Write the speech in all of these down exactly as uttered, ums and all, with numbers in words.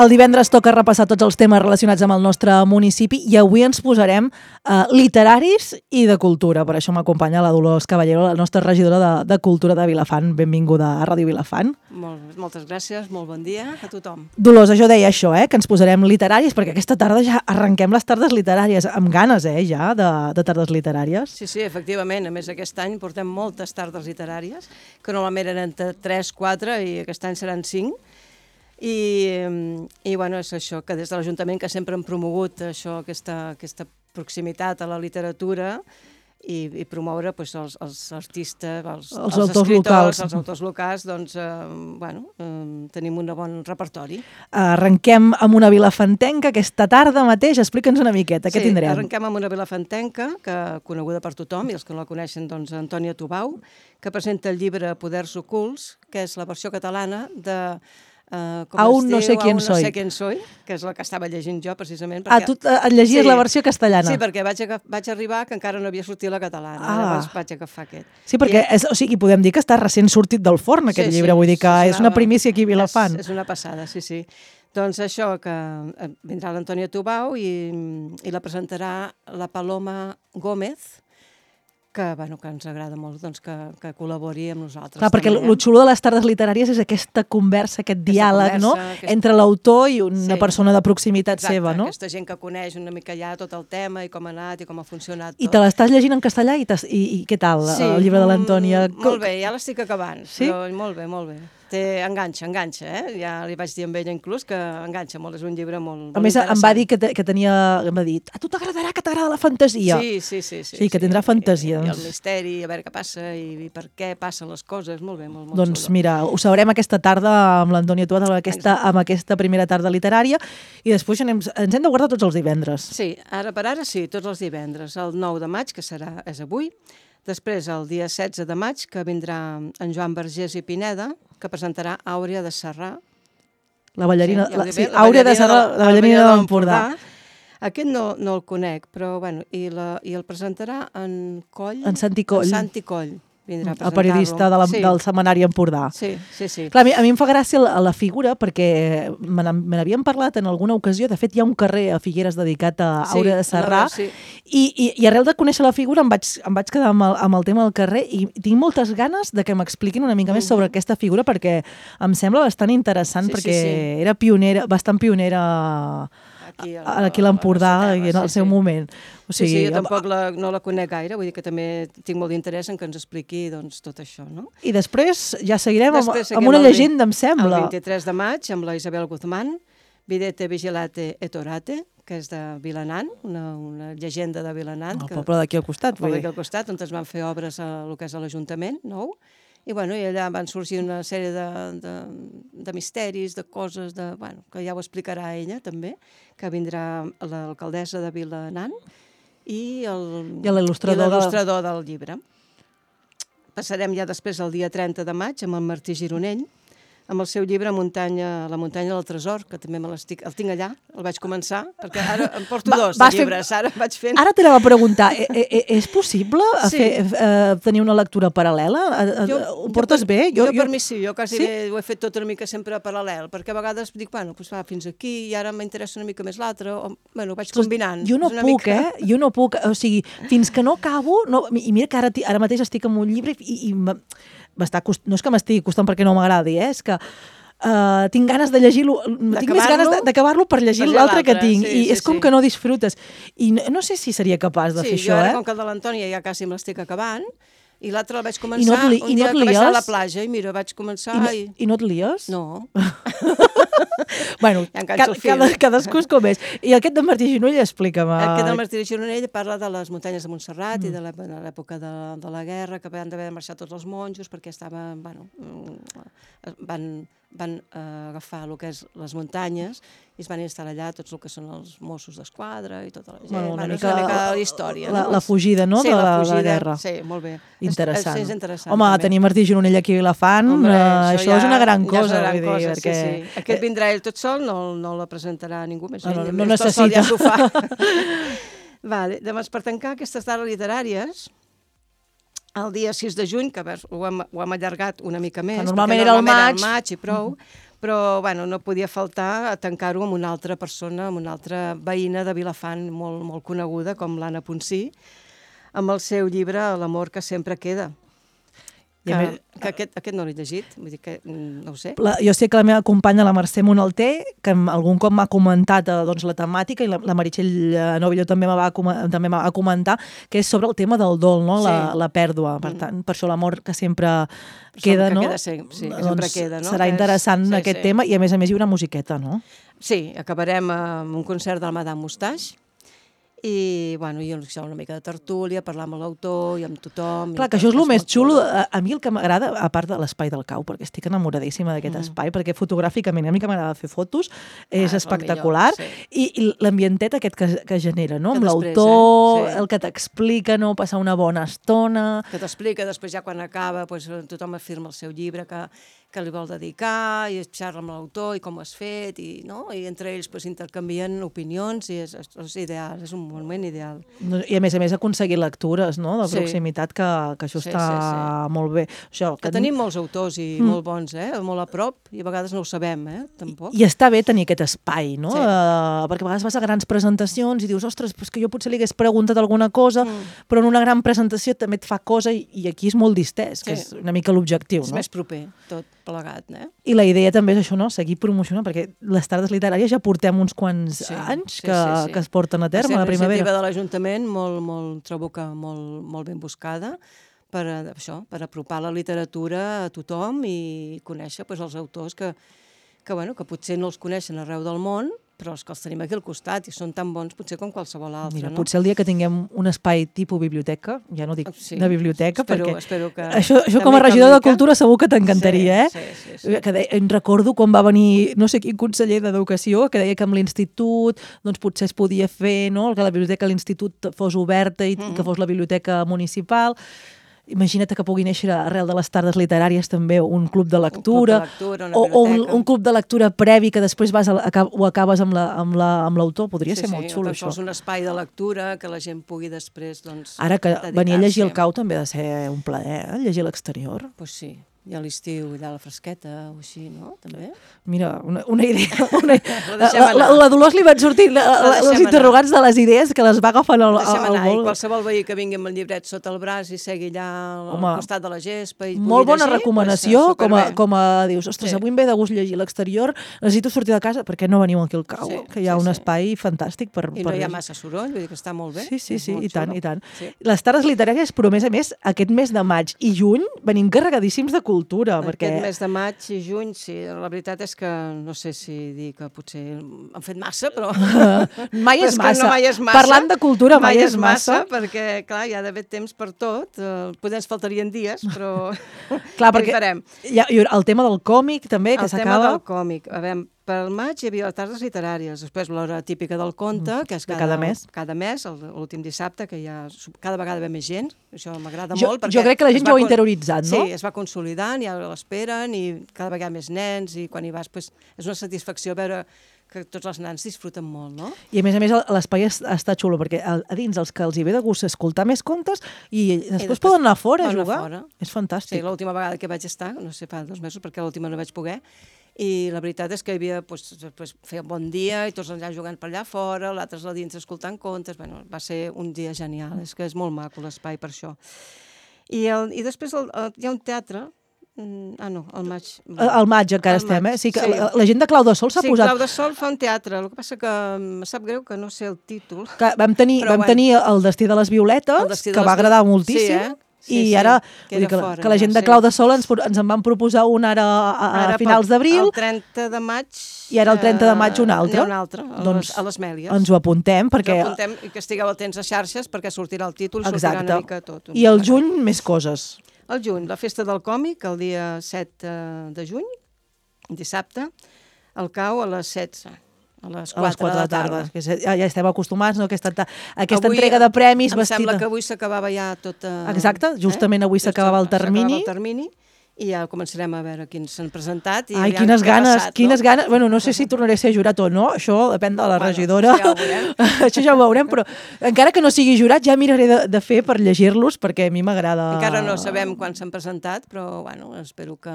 El divendres toca repassar tots els temes relacionats amb el nostre municipi i avui ens posarem eh, literaris i de cultura. Per això m'acompanya la Dolors Caballero, la nostra regidora de, de Cultura de Vilafant. Benvinguda a Ràdio Vilafant. Molt, moltes gràcies, molt bon dia a tothom. Dolors, jo deia això, eh, que ens posarem literaris, perquè aquesta tarda ja arrenquem les tardes literàries, amb ganes, eh, ja, de, de tardes literàries. Sí, sí, efectivament. A més, aquest any portem moltes tardes literàries, que normalment eren tres, quatre i aquest any seran cinc. I, i bueno, és això, que des de l'Ajuntament que sempre hem promogut això, aquesta, aquesta proximitat a la literatura i, i promoure pues, els, els artistes, els, els, els autors escriptors, locals. els autors locals, doncs, eh, bueno, eh, tenim un bon repertori. Arrenquem amb una vilafantenca aquesta tarda mateix. Explica'ns una miqueta, què sí, tindrem? Arrenquem amb una vilafantenca, que coneguda per tothom, i els que no la coneixen, doncs, Antònia Tubau, que presenta el llibre Poders ocults, que és la versió catalana de... Uh, Aún no sé quién soy. soy. No sé quién soy, que és la que estava llegint jo, precisament. Perquè... Ah, tu et llegies sí. la versió castellana. Sí, perquè vaig, vaig arribar que encara no havia sortit la catalana. Ah. Llavors vaig agafar aquest. Sí, perquè I... és, o sigui, podem dir que està recent sortit del forn, aquest sí, llibre. Sí, vull dir que sí, és una primícia aquí a Vilafant. És, és una passada, sí, sí. Doncs això, que vindrà l'Antònia Tubau i, i la presentarà la Paloma Gómez, que, bueno, que ens agrada molt doncs, que, que col·labori amb nosaltres. Clar, perquè el xulo de les tardes literàries és aquesta conversa, aquest aquesta diàleg, conversa, no? Aquesta... entre l'autor i una sí. persona de proximitat Exacte, seva, no? Aquesta gent que coneix una mica ja tot el tema i com ha anat i com ha funcionat tot. I te l'estàs llegint en castellà i, i, i què tal, sí, el llibre de l'Antònia? Molt bé, ja l'estic acabant, sí? però molt bé, molt bé. Té, enganxa, enganxa, eh? Ja li vaig dir amb ella inclús que enganxa molt, és un llibre molt, molt a més, interessant. Em va dir que, te, que tenia... Em va dir, a tu t'agradarà, que t'agrada la fantasia. Sí, sí, sí. Sí, sí que tindrà sí, fantasia. I, doncs. I el misteri, a veure què passa i, i per què passen les coses, molt bé, molt, molt Doncs xulo. mira, ho sabrem aquesta tarda amb l'Antònia Tuat, amb aquesta, amb aquesta primera tarda literària, i després anem, ens hem de guardar tots els divendres. Sí, ara per ara sí, tots els divendres. El nou de maig, que serà és avui, després, el dia setze de maig, que vindrà en Joan Vergés i Pineda, que presentarà Àurea de Sarrà. La ballarina, sí, la, la, sí, la Àurea de Sarrà, la ballarina de l'Empordà. Aquest no, no el conec, però bueno, i, la, i el presentarà en Coll. En Santi Coll. En Santi Coll. Vindrà a el periodista de la, sí. del setmanari Empordà. Sí, sí, sí. Clar, a, mi, a mi em fa gràcia la, la figura perquè me n'havíem parlat en alguna ocasió. De fet, hi ha un carrer a Figueres dedicat a sí, Àurea de Sarrà sí. i, i, i arrel de conèixer la figura em vaig, em vaig quedar amb el, amb el tema del carrer i tinc moltes ganes de que m'expliquin una mica més sobre mm-hmm. aquesta figura perquè em sembla bastant interessant sí, perquè sí, sí. era pionera, bastant pionera aquí, el, aquí a l'Empordà en el seu sí. moment. O sigui, sí, sí, jo tampoc la, no la conec gaire, vull dir que també tinc molt d'interès en que ens expliqui doncs, tot això, no? I després ja seguirem després amb, amb una llegenda, em sembla. El vint-i-tres de maig, amb la Isabel Guzmán, Videte Vigilate et Orate, que és de Vilanant, una, una llegenda de Vilanant. El poble d'aquí al costat. El poble d'aquí al costat, on es van fer obres a el que és a l'Ajuntament nou, i, bueno, i allà van sorgir una sèrie de, de, de misteris, de coses, de, bueno, que ja ho explicarà ella també, que vindrà l'alcaldessa de Vilanant, i l'il·lustrador de... del llibre. Passarem ja després el dia trenta de maig amb el Martí Gironell, amb el seu llibre Muntanya, La muntanya del tresor, que també me l'estic, el tinc allà, el vaig començar, perquè ara em porto Va, dos de llibres, fer... ara vaig fent... Ara t'anava a preguntar, e -e és possible sí. fer, eh, tenir una lectura paral·lela? Jo, ho portes jo, bé? Jo, jo, jo per mi sí, jo quasi sí? bé ho he fet tot una mica sempre paral·lel, perquè a vegades dic, bueno, doncs va fins aquí i ara m'interessa una mica més l'altre, o bueno, ho vaig combinant. Jo no puc, mica... eh? Jo no puc, o sigui, fins que no acabo, no, i mira que ara, ara mateix estic amb un llibre i, i cost... no és que m'estigui costant perquè no m'agradi, eh? És que Uh, tinc ganes de llegir-lo, tinc més ganes d'acabar-lo per llegir l'altre que tinc, sí, i sí, és com sí. que no disfrutes. I no, no sé si seria capaç de sí, fer això, això, eh? eh? Com que el de l'Antònia ja quasi me l'estic acabant, i l'altre el vaig començar no li, un dia no que vaig estar a la platja, i mira, vaig començar... I no, i... i no et lies? No. Bueno, ja cada, cada, cadascú és com és. I aquest de Martí Gironell, explica'm. Aquest del Martí Gironell parla de les muntanyes de Montserrat mm. i de l'època de, de la guerra, que van d'haver marxat tots els monjos perquè estaven, bueno, van, van uh, agafar el que és les muntanyes i es van instal·lar allà tots el que són els Mossos d'Esquadra i tota la gent. Bueno, una, bueno, mica, una mica la història. La, no? la fugida, no?, sí, de, la, fugida, de la guerra. Sí, molt bé. Interessant. És, és interessant. Home, també. tenir Martí Gironell aquí a Vilafant, Hombre, uh, això, ja, és una gran ja cosa. És una gran dir, cosa, perquè... sí, sí. Aquest vindrà ell tot sol, no, no la presentarà ningú més. No, no, ell, no tot necessita. Sol ja s'ho fa. Vale, llavors, per tancar aquestes dades literàries, el dia sis de juny, que veus, ho, hem, ho hem allargat una mica més, normalment era el maig, el maig i prou, però bueno, no podia faltar tancar-ho amb una altra persona, amb una altra veïna de Vilafant molt, molt coneguda, com l'Anna Ponsí, amb el seu llibre L'amor que sempre queda. Que, més... que aquest, aquest no l'he llegit, vull dir que no ho sé. La, jo sé que la meva companya, la Mercè Monalter, que algun cop m'ha comentat eh, doncs, la temàtica, i la, la Meritxell Novillo també m'ha va, també va comentar, que és sobre el tema del dol, no? la, sí. la pèrdua. Per tant, mm. per això l'amor que sempre queda, que no? queda sí, sí, que doncs sempre queda, no? Serà interessant és, sí, aquest sí. tema, i a més a més hi haurà musiqueta, no? Sí, acabarem amb un concert del Madame Moustache, i, bueno, i una mica de tertúlia, parlar amb l'autor i amb tothom. Clar, que això és el més xulo. A, a mi el que m'agrada, a part de l'espai del Cau, perquè estic enamoradíssima d'aquest mm. espai, perquè fotogràficament a mi que m'agrada fer fotos, és ah, espectacular, millor, sí. i, i l'ambientet aquest que, que genera, no? Que amb l'autor, eh? sí. el que t'explica, no? Passar una bona estona... Que t'explica, després ja quan acaba, pues, tothom afirma el seu llibre, que que li vol dedicar, i xerra amb l'autor, i com ho has fet, i, no? I entre ells pues, intercanvien opinions, i és, és ideal, és un moment ideal. I a més a més aconseguir lectures, no?, de sí. proximitat, que, que això sí, està sí, sí. molt bé. Això, que, que tenim molts autors i mm. molt bons, eh? molt a prop, i a vegades no ho sabem, eh? tampoc. I, i està bé tenir aquest espai, no? Sí. Uh, perquè a vegades vas a grans presentacions i dius, ostres, pues que jo potser li hagués preguntat alguna cosa, mm. però en una gran presentació també et fa cosa, i, i aquí és molt distès, sí. que és una mica l'objectiu, és no? més proper, tot plegat, eh? I la idea també és això, no? Seguir promocionant, perquè les tardes literàries ja portem uns quants sí, anys sí, que, sí, sí. que es porten a terme a la primavera. Va ser una iniciativa de l'Ajuntament molt, molt, trobo que molt, molt ben buscada per, això, per apropar la literatura a tothom i conèixer pues, els autors que, que, bueno, que potser no els coneixen arreu del món, però els que els tenim aquí al costat i són tan bons potser com qualsevol altre. Mira, no? Potser el dia que tinguem un espai tipus biblioteca, ja no dic sí, de biblioteca, espero, perquè espero que això, això com a regidor de Cultura segur que t'encantaria, sí, eh? Sí, sí, sí. Que de, em recordo quan va venir no sé quin conseller d'Educació que deia que amb l'institut doncs potser es podia fer, no?, que la biblioteca de l'institut fos oberta i mm-hmm. que fos la biblioteca municipal. Imagina't que pugui néixer arrel de les tardes literàries també un club de lectura, un club de lectura o, o un, un club de lectura previ que després vas a, a, ho acabes amb l'autor. Podria sí, ser sí, molt xulo, això. Sí, un espai de lectura que la gent pugui després doncs, ara que venir a llegir el Cau també ha de ser un plaer, eh? Llegir a l'exterior. Doncs pues sí. I a l'estiu, allà a la fresqueta, o així, no? També? Mira, una, una idea... Una... la, la, la Dolors li van sortir la, la, els interrogants anar. De les idees que les va agafant al, al, al vol. I qualsevol veí que vingui amb el llibret sota el braç i segui allà al Home, costat de la gespa i molt bona llegir, recomanació, pues, com, a, com a dius, ostres, sí. avui em ve de gust llegir a l'exterior, necessito sortir de casa, perquè no veniu aquí al Cau, sí, que hi ha sí, un espai sí. fantàstic per... I per no hi ha llegir. massa soroll, vull dir que està molt bé. Sí, sí, sí, i tant, xulo. i tant. Sí. Les tardes literàries, però a més a més, aquest mes de maig i juny venim carregadíssims de cultura, perquè... Aquest mes de maig i juny, sí, la veritat és que no sé si dir que potser han fet massa, però... mai és massa. No mai és massa. Parlant de cultura, mai, mai és massa. massa. Perquè, clar, hi ha d'haver temps per tot. Uh, potser ens faltarien dies, però... clar, perquè hi ha, el tema del còmic també, que s'acaba... El tema del còmic. A veure, pel maig hi havia les tardes literàries, després l'hora típica del conte, que és cada, cada mes, cada mes l'últim dissabte, que hi ha cada vegada ve més gent, això m'agrada jo, molt. Jo crec que la gent ja ho ha interioritzat, no? Sí, es va consolidant, ja l'esperen, i cada vegada més nens, i quan hi vas pues, és una satisfacció veure que tots els nans disfruten molt, no? I a més a més l'espai està xulo, perquè a, a dins els que els hi ve de gust escoltar més contes i després, I després poden anar fora a jugar. Fora. És fantàstic. Sí, l'última vegada que vaig estar, no sé, fa dos mesos, perquè l'última no vaig poder, i la veritat és que hi havia, pues, pues, feia un bon dia i tots allà jugant per allà fora, l'altres a dins escoltant contes, bueno, va ser un dia genial, és que és molt maco l'espai per això. I, el, i després el, el, hi ha un teatre, ah no, al maig. Al maig encara el estem, maig, eh? Sí, que sí. La, la gent de Clau de Sol s'ha sí, posat... Sí, Clau de Sol fa un teatre, el que passa que em sap greu que no sé el títol. Que vam tenir, vam bueno. tenir el Destí de les Violetes, que va agradar moltíssim. Sí, eh? Sí, I sí, ara, que, dir, que, fora, que la gent de Clau de Sol ens, ens en van proposar un ara a, a ara finals d'abril. El trenta de maig. I ara el trenta de maig un altre. Un altre, a, doncs, les, a les Mèlies. Ens ho apuntem, perquè... Ens ho apuntem i que estigueu atents a xarxes, perquè sortirà el títol i sortirà una mica tot. I el juny, més coses. El juny, la festa del còmic, el dia set de juny, dissabte, el Cau a les setze. A les quatre de la tarda. Que ja, ja estem acostumats, no? Aquesta, aquesta avui, entrega de premis em vestida... Em sembla que avui s'acabava ja tot... Exacte, justament avui eh? s'acabava el termini. el termini. i ja començarem a veure quins s'han presentat. I Ai, quines ganes, passat, quines no? ganes. Bueno, no sé si tornaré a ser jurat o no, això depèn de la bueno, regidora. Ja ho veurem. Això ja ho veurem, però encara que no sigui jurat ja miraré de, de fer per llegir-los, perquè a mi m'agrada... Encara no sabem quan s'han presentat, però bueno, espero que,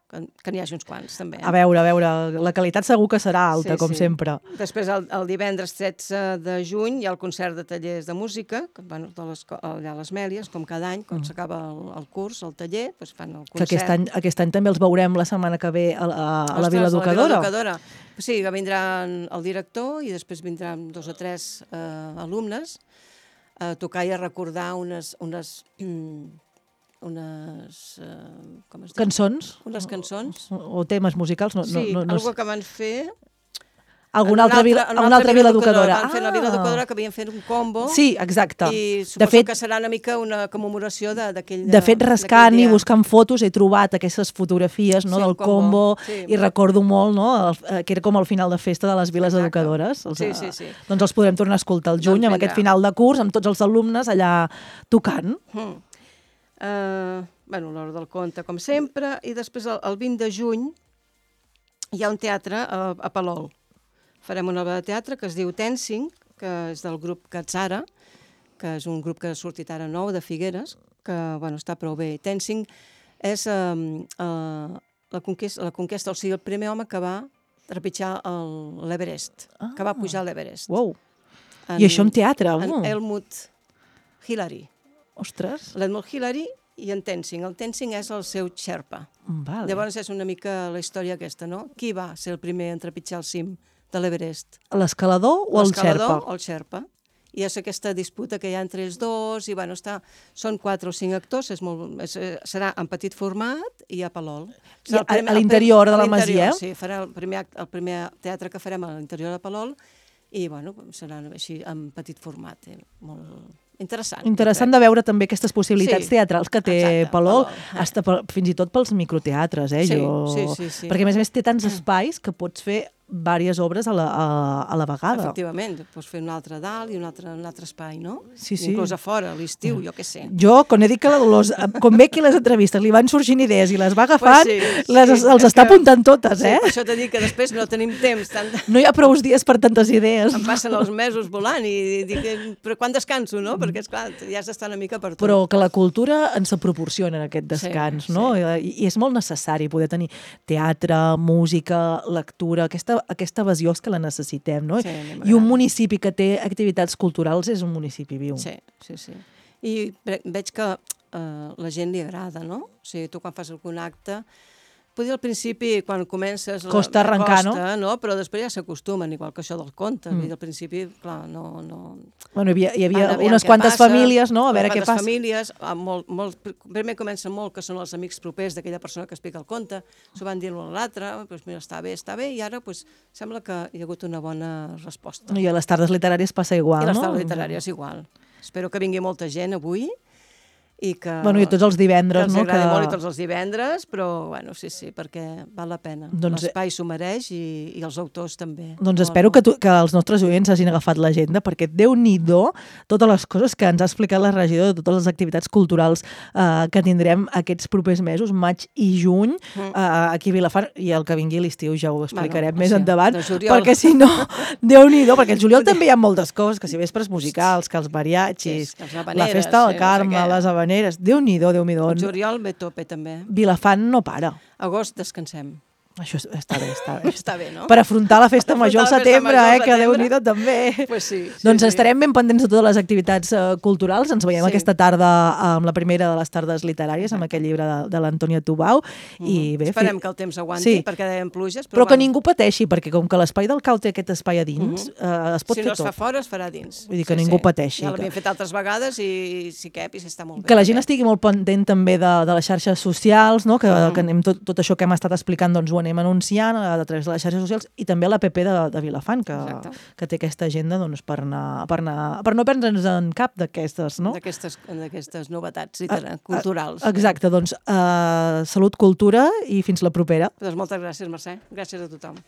que, que n'hi hagi uns quants, també. A veure, a veure, la qualitat segur que serà alta, sí, com sí. sempre. Després, el, el divendres tretze de juny, hi ha el concert de tallers de música, que, bueno, de les, allà a les Mèlies, com cada any, quan mm. s'acaba el, el curs, el taller, doncs fan el concert. Que aquest any, aquest any també els veurem la setmana que ve a, a, a la Vila Educadora. A la Vila Educadora. Sí, que vindran el director i després vindran dos o tres eh, alumnes a tocar i a recordar unes... unes unes... Uh, com es diu? Cançons? Unes cançons. O, o temes musicals? No, sí, no, no, algo que van fer... Alguna altra, vila, una altra, altra Vila Educadora. Van fer la Vila Educadora, que havien fet un combo. Sí, exacte. I suposo de fet, que serà una mica una commemoració d'aquell... De, de fet, rascant i buscant fotos, he trobat aquestes fotografies no, sí, del combo, combo sí. I recordo molt no, el, que era com el final de festa de les Viles exacte. Educadores. Els, sí, sí, sí. Doncs els podrem tornar a escoltar el juny, doncs amb aquest final de curs, amb tots els alumnes allà tocant. Mm. Uh, bueno, l'hora del conte, com sempre, i després el, el vint de juny hi ha un teatre a, a Palol. Farem una obra de teatre que es diu Tensing, que és del grup Katsara, que és un grup que ha sortit ara nou, de Figueres, que bueno, està prou bé. Tensing és uh, uh, la, conquesta, la conquesta, o sigui, el primer home que va trepitjar l'Everest, ah. que va pujar a l'Everest. Wow. En, I això en teatre? En uh. Helmut Hillary. Ostres. L'Helmut Hillary i en Tensing. El Tensing és el seu xerpa. Vale. Llavors és una mica la història aquesta, no? Qui va ser el primer en trepitjar el cim de l'Everest? L'escalador o el xerpa? L'escalador o el xerpa. I és aquesta disputa que hi ha entre els dos, i bueno, està, són quatre o cinc actors, és molt, és, serà en petit format i a Palol. I a, a l'interior de la masia? Sí, farà el primer, el primer teatre que farem a l'interior de Palol, i bueno, serà així en petit format, eh? Molt... Interessant. Interessant de veure també aquestes possibilitats sí, teatrals que té exacte, Palol, Palol. Hasta per, fins i tot pels microteatres, eh? Sí, jo... sí, sí, sí. Perquè a més a més té tants espais que pots fer diverses obres a la, a, a la vegada. Efectivament, pots fer un altre dalt i un altre, un altre espai, no? Sí, sí. Inclús a fora, a l'estiu, jo què sé. Jo, quan he dit que la Dolors, com ve aquí les entrevistes, li van sorgint idees i les va agafant, pues sí, les, sí, els està que... apuntant totes, eh? Sí, per això t'he dit que després no tenim temps. Tant... No hi ha prou dies per tantes idees. Em passen els mesos volant i dic, però quan descanso, no? Perquè, esclar, ja has d'estar una mica per tot. Però que la cultura ens proporciona aquest descans, sí, no? Sí. I, I és molt necessari poder tenir teatre, música, lectura, aquesta, aquesta evasió que la necessitem, no? Sí, i un municipi que té activitats culturals és un municipi viu. Sí, sí, sí. I veig que uh, la gent li agrada, no? O sigui, tu quan fas algun acte, potser al principi, quan comences... Costa arrencar, costa, no? no? Però després ja s'acostumen, igual que això del conte. Mm. Al principi, clar, no... no... Bueno, hi havia, hi havia unes quantes passa, famílies, no? A veure què passa. famílies, molt, molt, primer comença molt que són els amics propers d'aquella persona que explica el conte, s'ho van dir l'un a l'altre, doncs mira, està bé, està bé, i ara doncs, sembla que hi ha hagut una bona resposta. I a les tardes literàries passa igual, no? I a les tardes literàries igual. Espero que vingui molta gent avui, i que... Bueno, i tots els divendres, que no? Que els agradi que... molt i tots els divendres, però, bueno, sí, sí, perquè val la pena. Doncs... L'espai s'ho mereix i, i els autors també. Doncs molt, espero molt. Que, tu, que els nostres oients hagin agafat l'agenda, perquè Déu-n'hi-do totes les coses que ens ha explicat la regidora, totes les activitats culturals eh, que tindrem aquests propers mesos, maig i juny, mm. eh, aquí a Vilafant, i el que vingui l'estiu ja ho explicarem bueno, més sí, endavant, perquè si no, Déu-n'hi-do, perquè el juliol també hi ha moltes coses, que si vespres musicals, que els mariachis, sí, la festa del Carme, sí, les habaneres, Déu-n'hi-do, Déu-n'hi-do. El juliol ve tope, també. Vilafant no para. Agost descansem. Això està bé, està bé. Està bé, no? Per afrontar la festa major al setembre, eh, que Déu-n'hi-do també. Pues sí, sí, doncs sí. Estarem ben pendents de totes les activitats uh, culturals. Ens veiem sí. aquesta tarda amb la primera de les tardes literàries, amb aquell llibre de, de l'Antònia Tubau. Mm. I bé, esperem fi... que el temps aguanti, sí. perquè deien pluges. Però, però que bueno. ningú pateixi, perquè com que l'espai del Cau té aquest espai a dins, mm -hmm. uh, es pot si fer tot. Si no es fa fora, es farà dins. Vull dir que sí, ningú sí. pateixi. Ja l'havíem fet altres vegades i si cap, i si està molt bé. Que la gent estigui molt pendent també de, de les xarxes socials, no? que, mm. que anem tot, tot això que hem estat explicant, doncs ho anem anunciant a través de les xarxes socials, i també a l'app de, de Vilafant, que, que té aquesta agenda doncs, per, anar, per, anar, per no perdre'ns en cap d'aquestes, no? D'aquestes novetats a, culturals. A, exacte, doncs uh, salut, cultura i fins la propera. Doncs moltes gràcies, Mercè. Gràcies a tothom.